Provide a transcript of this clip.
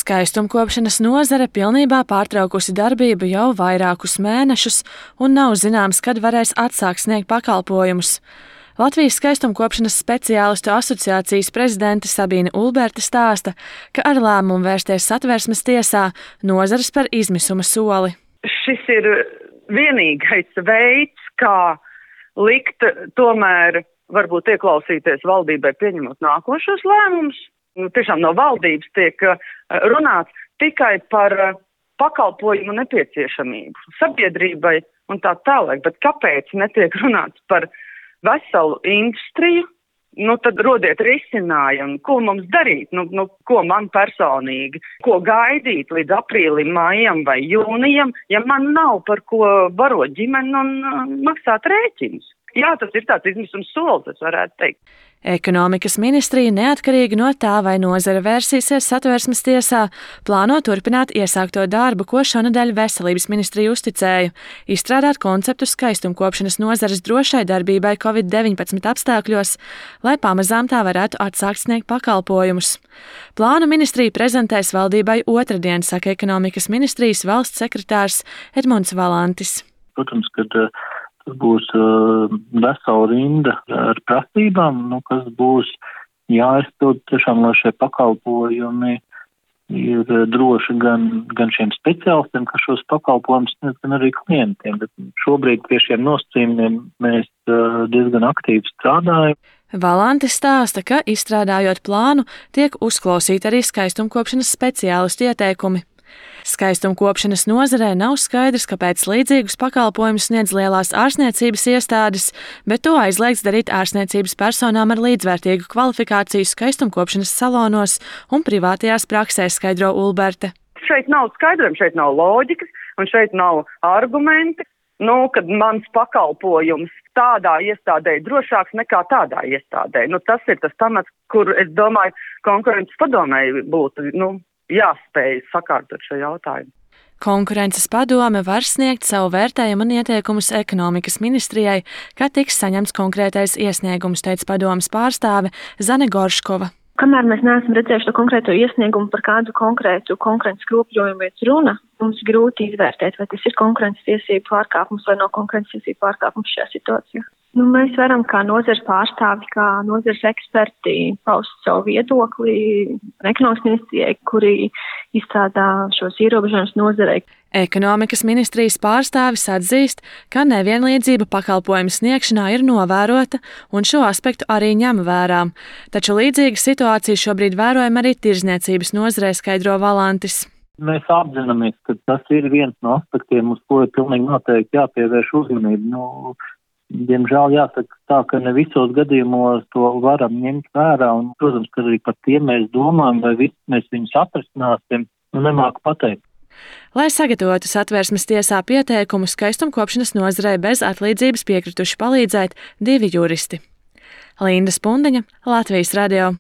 Skaistumkopšanas nozare pilnībā pārtraukusi darbību jau vairākus mēnešus un nav zināms, kad varēs atsākt sniegt pakalpojumus. Latvijas skaistumkopšanas speciālistu asociācijas prezidente Sabīne Ulberte stāsta, ka ar lēmumu vērsties Satversmes tiesā nozare spēr izmisuma soli. Šis ir vienīgais veids, kā likt tomēr varbūt ieklausīties valdībai pieņemot nākošos lēmumus. Tiešām no valdības tiek runāts tikai par pakalpojumu nepieciešamību sabiedrībai un tā tālāk, bet kāpēc netiek runāts par veselu industriju? Tad rodiet risinājumu, ko mums darīt, ko man personīgi, ko gaidīt līdz aprīlim, maijam vai jūnijam, ja man nav par ko barot ģimeni un maksāt rēķinus. Jā, tas ir tāds izmisums solis, es varētu teikt. Ekonomikas ministrija neatkarīgi no tā, vai nozare vērsīsies Satversmes tiesā, plāno turpināt iesākto darbu, ko šonedēļ Veselības ministrija uzticēja – izstrādāt konceptu skaistumkopšanas nozares drošai darbībai Covid-19 apstākļos, lai pamazām tā varētu atsākt sniegt pakalpojumus. Plānu ministrija prezentēs valdībai otrdien, saka Ekonomikas ministrijas valsts sekretārs Edmunds Valantis. Protams, kad tas būs vesela rinda ar prasībām, kas būs jāizpild tiešām, lai šie pakalpojumi ir droši gan šiem speciālistiem, kas šos pakalpojumus sniedz, gan arī klientiem. Bet šobrīd pie šiem nosacījumiem mēs diezgan aktīvi strādājam. Valantis stāsta, ka izstrādājot plānu, tiek uzklausīti arī skaistumkopšanas speciālistu ieteikumi. Skaistumkopšanas nozarē nav skaidrs, kāpēc līdzīgus pakalpojumus sniedz lielās ārstniecības iestādes, bet to aizliegts darīt ārstniecības personām ar līdzvērtīgu kvalifikāciju skaistumkopšanas salonos un privātajās praksēs, skaidro Ulberte. Šeit nav skaidrojumi, šeit nav loģikas un šeit nav argumenti, kad mans pakalpojums tādā iestādē ir drošāks nekā tādā iestādē. Tas ir tas pamats, kur, es domāju, konkurences padomei būtu, jāspēj sakārtot šo jautājumu. Konkurences padome var sniegt savu vērtējumu un ieteikumus Ekonomikas ministrijai, kad tiks saņemts konkrētais iesniegums, teica padomes pārstāve Zane Gorškova. Kamēr mēs neesam redzējuši to konkrēto iesniegumu, par kādu konkrētu konkurences kropļojumu iet runa, mums grūti izvērtēt, vai tas ir konkurences tiesību pārkāpums vai nav konkurences tiesību pārkāpums šajā situācijā. Mēs varam kā nozares pārstāvi, kā nozares eksperti paust savu viedokli Ekonomikas ministrijai, kuri izstrādā šos ierobežojumus nozarei. Ekonomikas ministrijas pārstāvis atzīst, ka nevienlīdzība pakalpojumu sniegšanā ir novērota un šo aspektu arī ņem vērā. Taču līdzīga situācija šobrīd vērojama arī tirdzniecības nozarē, skaidro Valantis. Mēs apzināmies, ka tas ir viens no aspektiem, uz ko ir pilnīgi noteikti jāpievērš uzmanību. Diemžēl jāsaka tā, ka ne visos gadījumos to varam ņemt vērā, un, protams, ka arī par tiem mēs domājam, vai mēs viņus atrisināsim, nemāku pateikt. Lai sagatavotu Satversmes tiesā pieteikumu, skaistumkopšanas nozarei bez atlīdzības piekrituši palīdzēt 2 juristi. Linda Spundiņa, Latvijas radio.